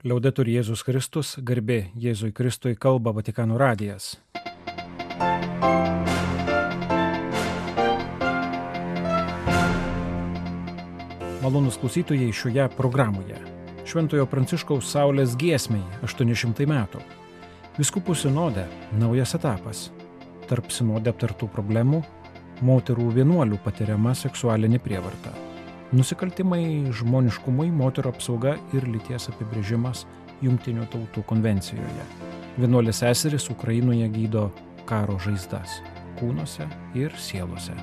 Liaudetur Jėzus Kristus, garbė Jėzui Kristui, kalba Vatikano radijas. Malonūs klausytojai šioje programoje. Šventojo Pranciškaus Saulės giesmei 800 metų. Vyskupų sinode naujas etapas. Tarp sinode aptartų problemų moterų vienuolių patiriama seksualinė prievarta. Nusikaltimai žmoniškumui, moterų apsauga ir lyties apibrėžimas Jungtinių tautų konvencijoje. Vienuolės seserys Ukrainoje gydo karo žaizdas kūnuose ir sielose.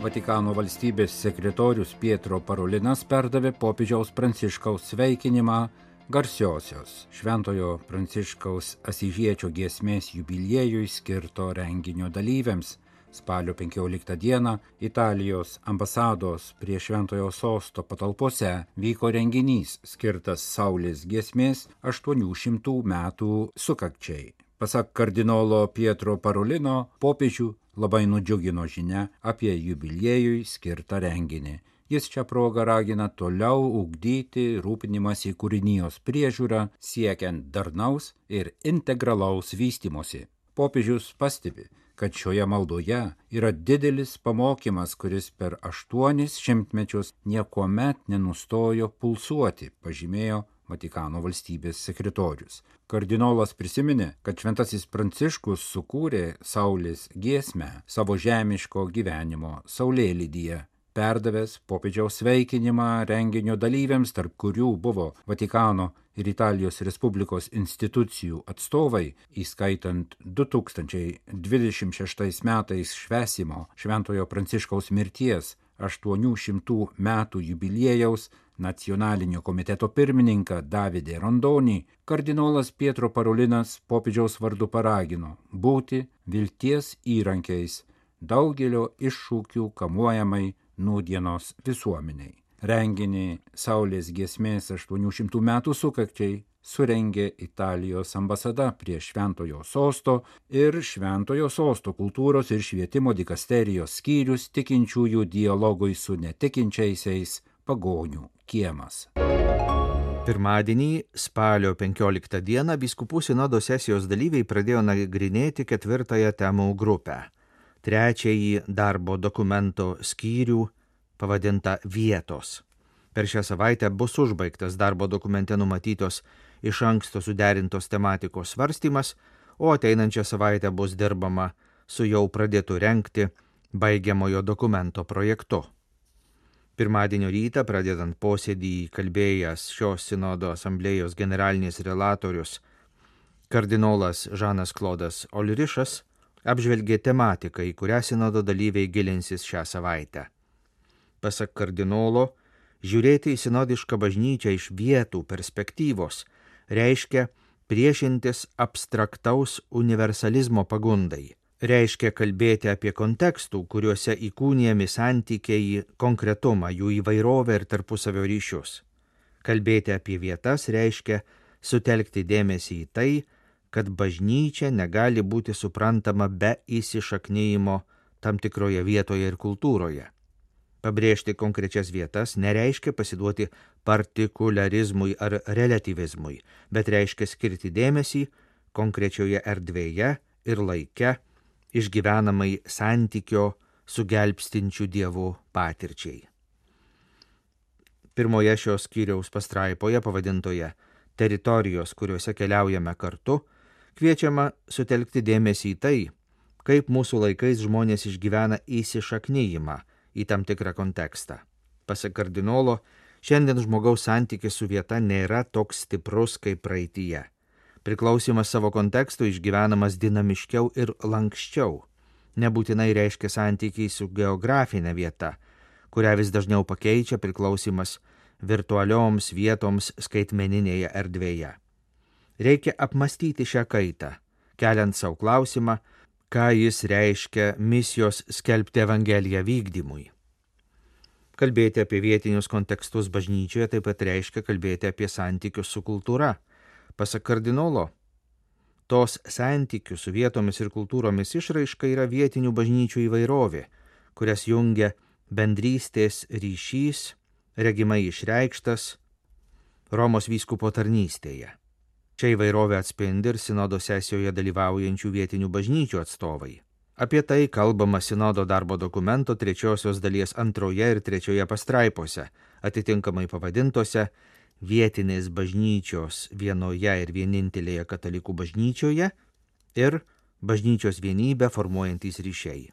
Vatikano valstybės sekretorius Pietro Parolinas perdavė popiežiaus Pranciškaus sveikinimą garsiosios Šventojo Pranciškaus Asyžiečio giesmės jubiliejui skirto renginio dalyviams. Spalio 15 dieną Italijos ambasados prie Šventojo sosto patalpose vyko renginys skirtas Saulės giesmės 800 metų sukakčiai. Pasak kardinolo Pietro Parolino, popiežių labai nudžiugino žinia apie jubiliejui skirtą renginį. Jis šią progą ragina toliau ugdyti rūpinimąsi kūrinijos priežiūrą, siekiant darnaus ir integralaus vystymosi. Popiežius pastebi, kad šioje maldoje yra didelis pamokymas, kuris per 8 šimtmečius niekuomet nenustojo pulsuoti, pažymėjo Vatikano valstybės sekretorius. Kardinolas prisiminė, kad Šventasis Pranciškus sukūrė Saulės giesmę savo žemiško gyvenimo saulėlydyje, perdavęs popiežiaus sveikinimą renginio dalyviams, tarp kurių buvo Vatikano ir Italijos Respublikos institucijų atstovai, įskaitant 2026 metais švęsimo Šventojo Pranciškaus mirties 800 metų jubiliejaus nacionalinio komiteto pirmininką Davidę Rondonį, kardinolas Pietro Parolinas popiežiaus vardu paragino būti vilties įrankiais daugelio iššūkių kamuojamai nūdienos visuomeniai. Renginį Saulės giesmės 800 metų sukakčiai surengė Italijos ambasada prie Šventojo sosto ir Šventojo sosto kultūros ir švietimo dikasterijos skyrius tikinčiųjų dialogui su netikinčiaisiais pagonių kiemas. Pirmadienį, spalio 15 dieną, vyskupų sinodo sesijos dalyviai pradėjo nagrinėti 4 temų grupę. 3 darbo dokumento skyrių pavadinta vietos. Per šią savaitę bus užbaigtas darbo dokumente numatytos iš anksto suderintos tematikos svarstymas, o ateinančią savaitę bus dirbama su jau pradėtu rengti baigiamojo dokumento projektu. Pirmadienio rytą, pradedant posėdį, kalbėjęs šios sinodo asamblėjos generalinis relatorius kardinolas Žanas Klodas Olrišas apžvelgė tematiką, į kurią sinodo dalyviai gilinsis šią savaitę. Pasak kardinolo, žiūrėti į sinodišką bažnyčią iš vietų perspektyvos reiškia priešintis abstraktaus universalizmo pagundai. Reiškia kalbėti apie kontekstų, kuriuose įkūnijami santykiai, konkretumą, jų įvairovę ir tarpusavio ryšius. Kalbėti apie vietas reiškia sutelkti dėmesį į tai, kad bažnyčia negali būti suprantama be įsišaknijimo tam tikroje vietoje ir kultūroje. Pabrėžti konkrečias vietas nereiškia pasiduoti partikularizmui ar relativizmui, bet reiškia skirti dėmesį konkrečioje erdvėje ir laike išgyvenamai santykio su gelbstinčiu Dievu patirčiai. Pirmoje šios skyriaus pastraipoje pavadintoje teritorijos, kuriuose keliaujame kartu, kviečiama sutelkti dėmesį į tai, kaip mūsų laikais žmonės išgyvena įsišaknijimą į tam tikrą kontekstą. Pasak kardinolo, šiandien žmogaus santykis su vieta nėra toks stiprus kaip praeityje. Priklausimas savo konteksto išgyvenamas dinamiškiau ir lankščiau. Nebūtinai reiškia santykiai su geografinė vieta, kurią vis dažniau pakeičia priklausimas virtualioms vietoms skaitmeninėje erdvėje. Reikia apmastyti šią kaitą, keliant savo klausimą, ką jis reiškia misijos skelbti Evangeliją vykdymui. Kalbėti apie vietinius kontekstus bažnyčioje taip pat reiškia kalbėti apie santykius su kultūra. Pasak kardinolo, tos santykių su vietomis ir kultūromis išraiška yra vietinių bažnyčių įvairovė, kurias jungia bendrystės ryšys, regimai išreikštas Romos vyskupo tarnystėje. Čia įvairovė atspindi ir sinodo sesijoje dalyvaujančių vietinių bažnyčių atstovai. Apie tai kalbama sinodo darbo dokumento 3 dalies 2 ir 3 pastraipose, atitinkamai pavadintose Vietinės bažnyčios vienoje ir vienintelėje katalikų bažnyčioje ir bažnyčios vienybę formuojantys ryšiai.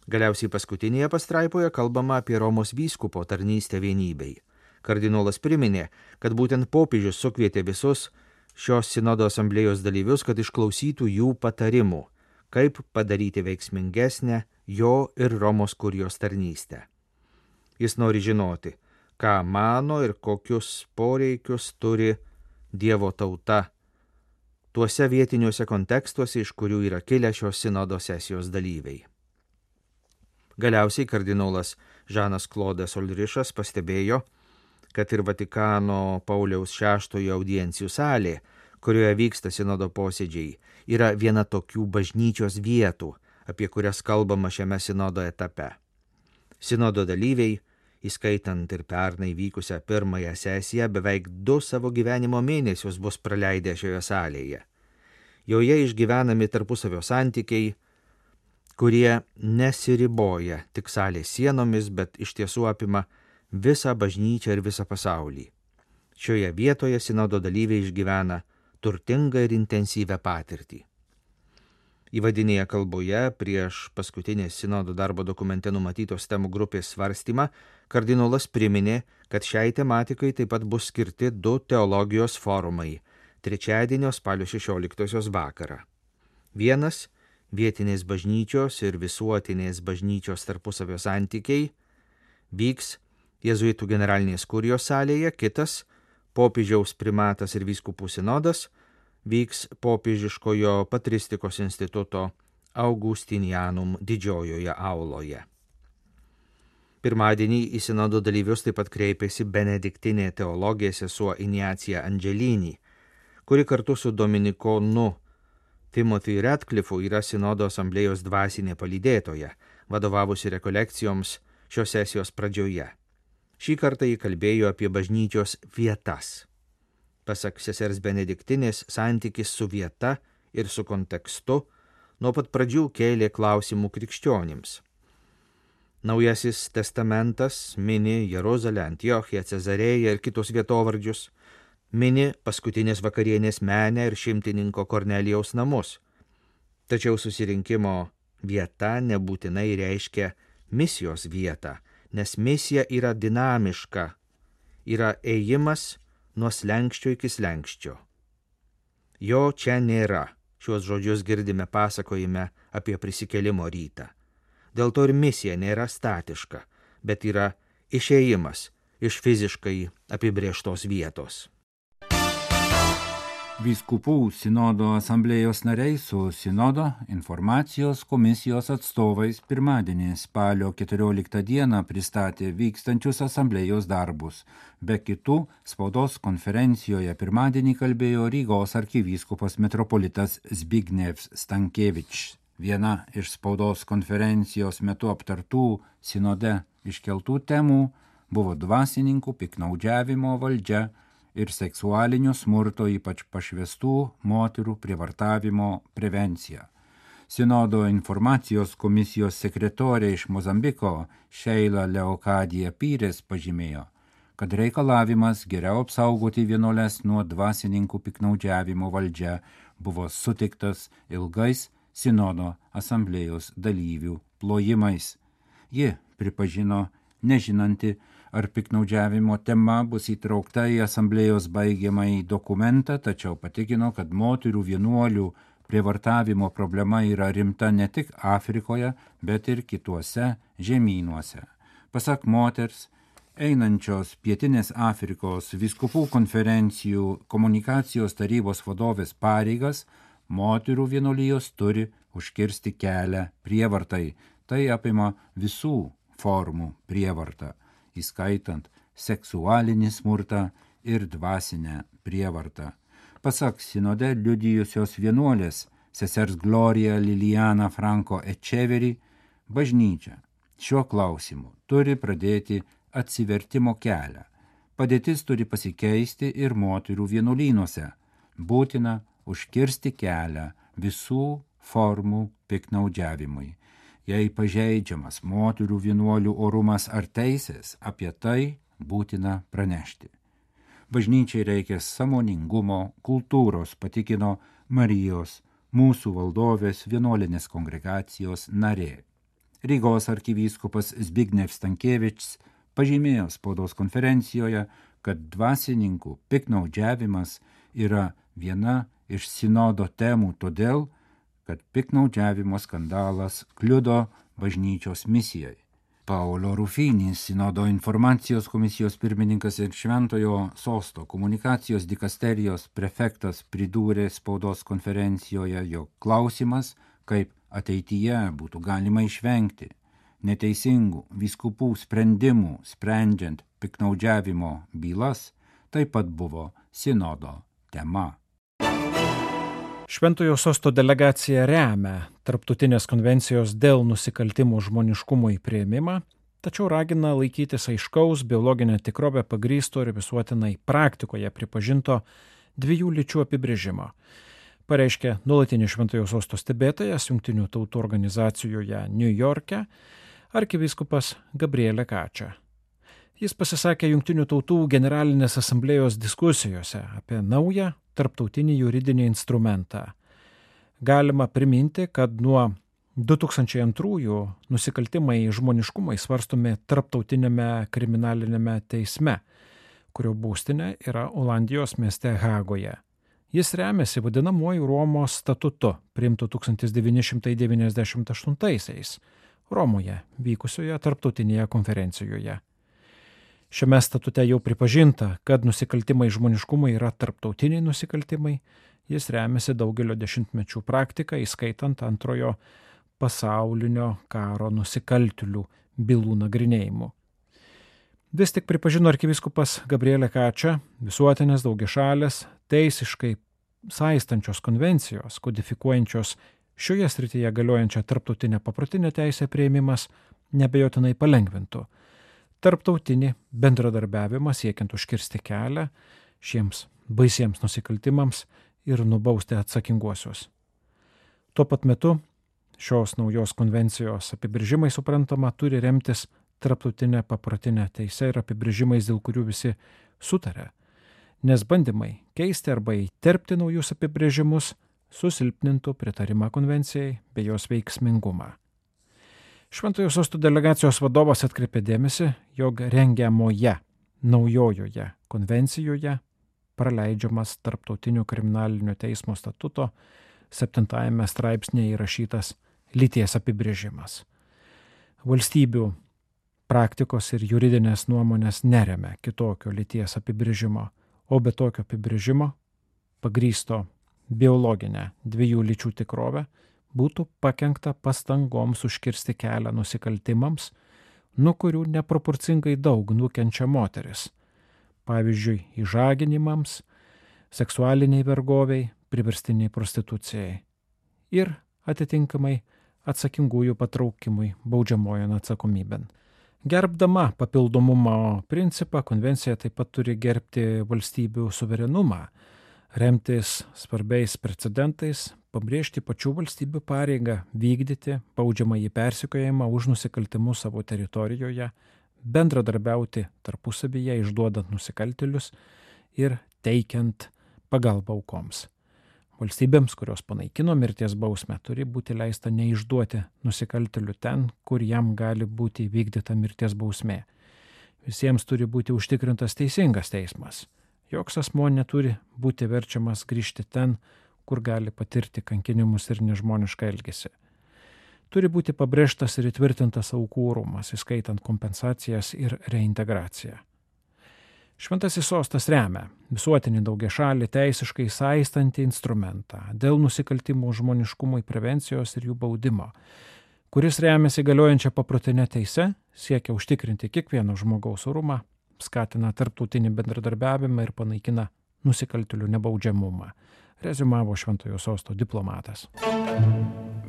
Galiausiai paskutinėje pastraipoje kalbama apie Romos vyskupo tarnystę vienybei. Kardinolas priminė, kad būtent popiežius sukvietė visus šios sinodo asamblėjos dalyvius, kad išklausytų jų patarimų, kaip padaryti veiksmingesnę jo ir Romos kurijos tarnystę. Jis nori žinoti, ką mano ir kokius poreikius turi Dievo tauta tuose vietiniuose kontekstuose, iš kurių yra kilę šios sinodo sesijos dalyviai. Galiausiai kardinolas Žanas Klodas Olrišas pastebėjo, kad ir Vatikano Pauliaus VI audiencijų salė, kurioje vyksta sinodo posėdžiai, yra viena tokių bažnyčios vietų, apie kurias kalbama šiame sinodo etape. Sinodo dalyviai, įskaitant ir pernai vykusią pirmąją sesiją, beveik 2 savo gyvenimo mėnesius bus praleidę šioje salėje. Joje išgyvenami tarpusavio santykiai, kurie nesiriboja tik salės sienomis, bet iš tiesų apima visą bažnyčią ir visą pasaulį. Šioje vietoje sinodo dalyviai išgyvena turtingą ir intensyvę patirtį. Įvadinėje kalboje prieš paskutinį sinodo darbo dokumente numatytos temų grupės svarstymą kardinolas priminė, kad šiai tematikai taip pat bus skirti 2 teologijos forumai trečiadienio spalio 16 vakarą. Vienas – vietinės bažnyčios ir visuotinės bažnyčios tarpusavio santykiai vyks Jėzuitų generalinės kurijos salėje, kitas – popiežiaus primatas ir vyskupų sinodas vyks popiežiškojo patristikos instituto Augustinianum didžiojoje auloje. Pirmadienį į sinodo dalyvius taip pat kreipėsi benediktinė teologė sesuo Iniacija Angelini, kuri kartu su dominikonu Timothy Radcliffeu yra sinodo asamblėjos dvasinė palydėtoja, vadovavusi rekolekcijoms šios sesijos pradžioje. Šį kartą jį kalbėjo apie bažnyčios vietas. Pasak sesers Benediktinės, santykis su vieta ir su kontekstu nuo pat pradžių kėlė klausimų krikščionims. Naujasis testamentas mini Jeruzalę, Antiochiją, Cezarėją ir kitus vietovardžius, mini paskutinės vakarienės menę ir šimtininko Kornelijaus namus. Tačiau susirinkimo vieta nebūtinai reiškia misijos vietą, nes misija yra dinamiška, yra ėjimas nuo slenksčio iki slenksčio. Jo čia nėra, šiuos žodžius girdime pasakojime apie prisikėlimo rytą. Dėl to ir misija nėra statiška, bet yra išėjimas iš fiziškai apibrėžtos vietos. Vyskupų sinodo asamblėjos nariai su sinodo informacijos komisijos atstovais pirmadienį spalio 14 dieną pristatė vykstančius asamblėjos darbus. Be kitų, spaudos konferencijoje pirmadienį kalbėjo Rygos arkivyskupas metropolitas Zbignevs Stankevič. Viena iš spaudos konferencijos metu aptartų sinode iškeltų temų buvo dvasininkų piktnaudžiavimo valdžia ir seksualinio smurto, ypač pašvestų moterų prievartavimo prevencija. Sinodo informacijos komisijos sekretorė iš Mozambiko Sheila Leokadija Pyrės pažymėjo, kad reikalavimas geriau apsaugoti vienuoles nuo dvasininkų piktnaudžiavimo valdžia buvo sutiktas ilgais sinodo asamblėjos dalyvių plojimais. Ji pripažino nežinanti, ar piktnaudžiavimo tema bus įtraukta į asamblėjos baigiamąjį dokumentą, tačiau patikino, kad moterų vienuolių prievartavimo problema yra rimta ne tik Afrikoje, bet ir kituose žemynuose. Pasak moters, einančios Pietinės Afrikos vyskupų konferencijų komunikacijos tarybos vadovės pareigas, moterų vienuolijos turi užkirsti kelią prievartai. Tai apima visų formų prievartą, įskaitant seksualinį smurtą ir dvasinę prievartą. Pasak sinode liudijusios vienuolės sesers Gloria Liliana Franco Echeveri, bažnyčia šiuo klausimu turi pradėti atsivertimo kelią. Padėtis turi pasikeisti ir moterų vienuolynuose. Būtina užkirsti kelią visų formų piktnaudžiavimui. Jei pažeidžiamas moterų vienuolių orumas ar teisės, apie tai būtina pranešti. Bažnyčiai reikia sąmoningumo, kultūros, patikino Marijos, mūsų valdovės vienuolinės kongregacijos narė. Rygos arkivyskupas Zbigniew Stankevičius pažymėjo spaudos konferencijoje, kad dvasininkų piktnaudžiavimas yra viena iš sinodo temų todėl, kad piktnaudžiavimo skandalas kliudo bažnyčios misijai. Paolo Rufini, sinodo informacijos komisijos pirmininkas ir Šventojo Sosto komunikacijos dikasterijos prefektas, pridūrė spaudos konferencijoje, jog klausimas, kaip ateityje būtų galima išvengti neteisingų vyskupų sprendimų sprendžiant piktnaudžiavimo bylas, taip pat buvo sinodo tema. Šventojo Sosto delegacija remia Tarptautinės konvencijos dėl nusikaltimų žmoniškumui priėmimą, tačiau ragina laikytis aiškaus biologinę tikrovę pagrįsto ir visuotinai praktikoje pripažinto dviejų lyčių apibrėžimo, pareiškė nuolatinis Šventojo Sosto stebėtojas Jungtinių tautų organizacijoje New York'e arkivyskupas Gabriele Kačia. Jis pasisakė Jungtinių tautų generalinės asamblėjos diskusijose apie naują tarptautinį juridinį instrumentą. Galima priminti, kad nuo 2002 nusikaltimai žmoniškumai svarstomi Tarptautinėme kriminalinėme teisme, kurio būstinė yra Olandijos mieste Hagoje. Jis remiasi vadinamuoju Romos statutu, priimtu 1998 Romoje vykusioje tarptautinėje konferencijoje. Šiame statute jau pripažinta, kad nusikaltimai žmoniškumui yra tarptautiniai nusikaltimai, jis remiasi daugelio dešimtmečių praktiką, įskaitant Antrojo pasaulinio karo nusikaltėlių bylų nagrinėjimu. Vis tik pripažino arkivyskupas Gabriele Kačia, visuotinės daugiašalės, teisiškai saistančios konvencijos, kodifikuojančios šioje srityje galiojančią tarptautinę paprotinę teisę priėmimas neabejotinai palengvintų tarptautinį bendradarbiavimą siekiant užkirsti kelią šiems baisiems nusikaltimams ir nubausti atsakinguosius. Tuo pat metu šios naujos konvencijos apibrėžimai suprantama turi remtis tarptautinę paprotinę teisę ir apibrėžimais, dėl kurių visi sutarė, nes bandymai keisti arba įterpti naujus apibrėžimus susilpnintų pritarimą konvencijai bei jos veiksmingumą. Šventojo Sosto delegacijos vadovas atkreipė dėmesį, jog rengiamoje naujojoje konvencijoje praleidžiamas Tarptautinio kriminalinio teismo statuto 7 straipsnėje įrašytas lyties apibrėžimas. Valstybių praktikos ir juridinės nuomonės neremia kitokio lyties apibrėžimo, o be tokio apibrėžimo pagrįsto biologinę dviejų lyčių tikrovę būtų pakenkta pastangoms užkirsti kelią nusikaltimams, nuo kurių neproporcingai daug nukenčia moteris, pavyzdžiui, išžaginimams, seksualiniai vergoviai, priverstiniai prostitucijai ir atitinkamai atsakingųjų patraukimui baudžiamojon atsakomybėn. Gerbdama papildomumo principą, konvencija taip pat turi gerbti valstybių suverenumą, remtis svarbiais precedentais, pabrėžti pačių valstybių pareigą vykdyti baudžiamąjį persekiojimą už nusikaltimus savo teritorijoje, bendradarbiauti tarpusavyje išduodant nusikaltėlius ir teikiant pagalbą aukoms. Valstybėms, kurios panaikino mirties bausmę, turi būti leista neišduoti nusikaltėlių ten, kur jam gali būti įvykdyta mirties bausmė. Visiems turi būti užtikrintas teisingas teismas. Joks asmuo neturi būti verčiamas grįžti ten, kur gali patirti kankinimus ir nežmonišką elgesį. Turi būti pabrėžtas ir įtvirtintas aukų orumas, įskaitant kompensacijas ir reintegraciją. Šventasis Sostas remia visuotinį daugiašalį teisiškai saistantį instrumentą dėl nusikaltimų žmoniškumui prevencijos ir jų baudimo, kuris remiasi galiojančią paprotinę teisę, siekia užtikrinti kiekvieno žmogaus orumą, skatina tarptautinį bendradarbiavimą ir panaikina nusikaltėlių nebaudžiamumą, reziumavo Šventojo Sosto diplomatas.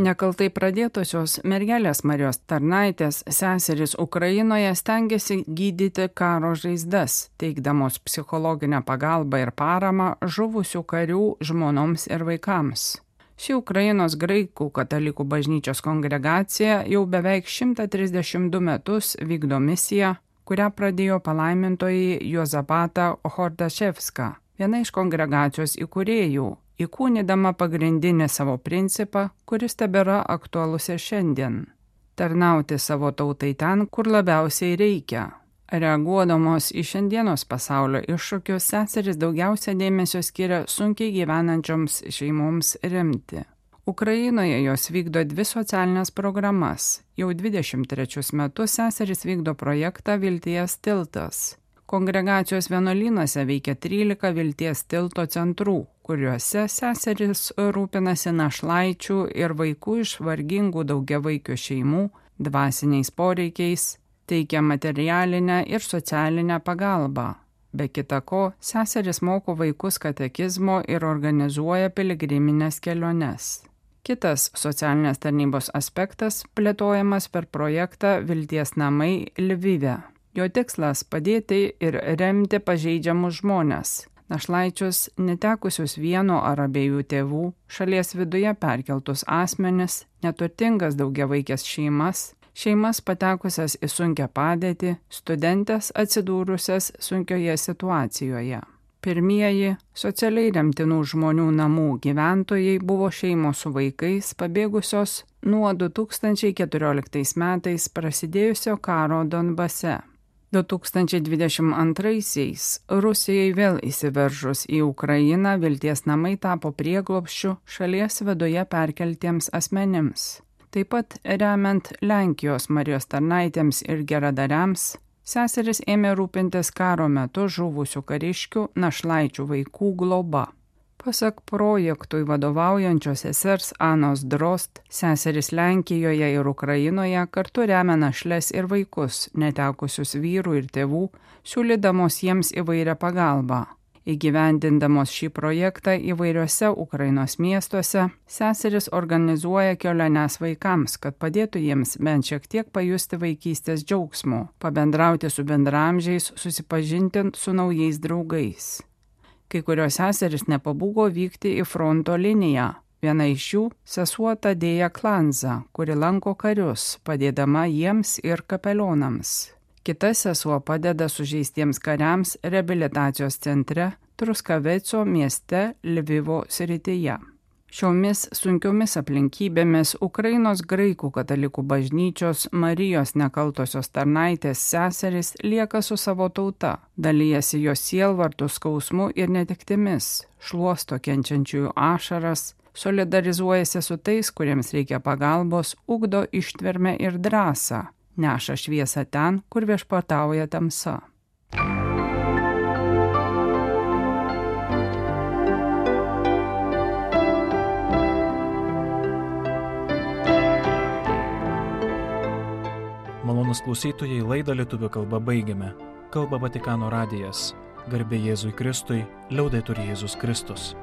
Nekaltai pradėtosios mergelės Marijos tarnaitės seserys Ukrainoje stengiasi gydyti karo žaizdas, teikdamos psichologinę pagalbą ir paramą žuvusių karių žmonoms ir vaikams. Ši Ukrainos graikų katalikų bažnyčios kongregacija jau beveik 132 metus vykdo misiją, kurią pradėjo palaimintoji Juozapata Hordaševska, viena iš kongregacijos įkūrėjų, įkūnydama pagrindinį savo principą, kuris tebėra aktualus ir šiandien – tarnauti savo tautai ten, kur labiausiai reikia. Reaguodamos į šiandienos pasaulio iššūkius, seserys daugiausia dėmesio skiria sunkiai gyvenančioms šeimoms remti. Ukrainoje jos vykdo 2 socialinės programas. Jau 23 metus seserys vykdo projektą Vilties tiltas. Kongregacijos vienuolynuose veikia 13 Vilties tilto centrų, kuriuose seserys rūpinasi našlaičių ir vaikų iš vargingų daugiavaikių šeimų dvasiniais poreikiais, teikia materialinę ir socialinę pagalbą. Be kita ko, seserys moko vaikus katekizmo ir organizuoja piligriminės keliones. Kitas socialinės tarnybos aspektas plėtojamas per projektą Vilties namai Lvive. Jo tikslas padėti ir remti pažeidžiamus žmones, našlaičius, netekusius vieno ar abiejų tėvų, šalies viduje perkeltus asmenis, neturtingas daugiavaikės šeimas patekusias į sunkią padėtį, studentės atsidūrusias sunkioje situacijoje. Pirmieji socialiai remtinų žmonių namų gyventojai buvo šeimos su vaikais pabėgusios nuo 2014 metais prasidėjusio karo Donbase. 2022-aisiais Rusijai vėl įsiveržus į Ukrainą Vilties namai tapo prieglobsčiu šalies viduje perkeltiems asmenims. Taip pat remiant Lenkijos Marijos tarnaitėms ir geradariams, seserys ėmė rūpintis karo metu žuvusių kariškių našlaičių vaikų globa. Pasak projektui vadovaujančios sesers Anos Drost, seserys Lenkijoje ir Ukrainoje kartu remia našles ir vaikus, netekusius vyrų ir tėvų, siūlydamos jiems įvairią pagalbą. Įgyvendindamos šį projektą įvairiuose Ukrainos miestuose, seserys organizuoja keliones vaikams, kad padėtų jiems bent šiek tiek pajusti vaikystės džiaugsmo, pabendrauti su bendramžiais, susipažinti su naujais draugais. Kai kurios seserys nepabūgo vykti į fronto liniją. Viena iš jų sesuo Tadėja Klanza, kuri lanko karius, padėdama jiems ir kapelionams. Kita sesuo padeda sužeistiems kariams reabilitacijos centre Truskaveco mieste Lvivo srityje. Šiomis sunkiomis aplinkybėmis Ukrainos graikų katalikų bažnyčios Marijos nekaltosios tarnaitės seserys lieka su savo tauta, dalijasi jos sielvartų skausmu ir netektimis, šluosto kenčiančiųjų ašaras, solidarizuojasi su tais, kuriems reikia pagalbos, ugdo ištvermę ir drąsą, neša šviesą ten, kur viešpatauja tamsa. Malonūs klausytojai, laidą lietuvių kalba baigiame. Kalba Vatikano radijas. Garbė Jėzui Kristui, liaudetur Jėzus Kristus.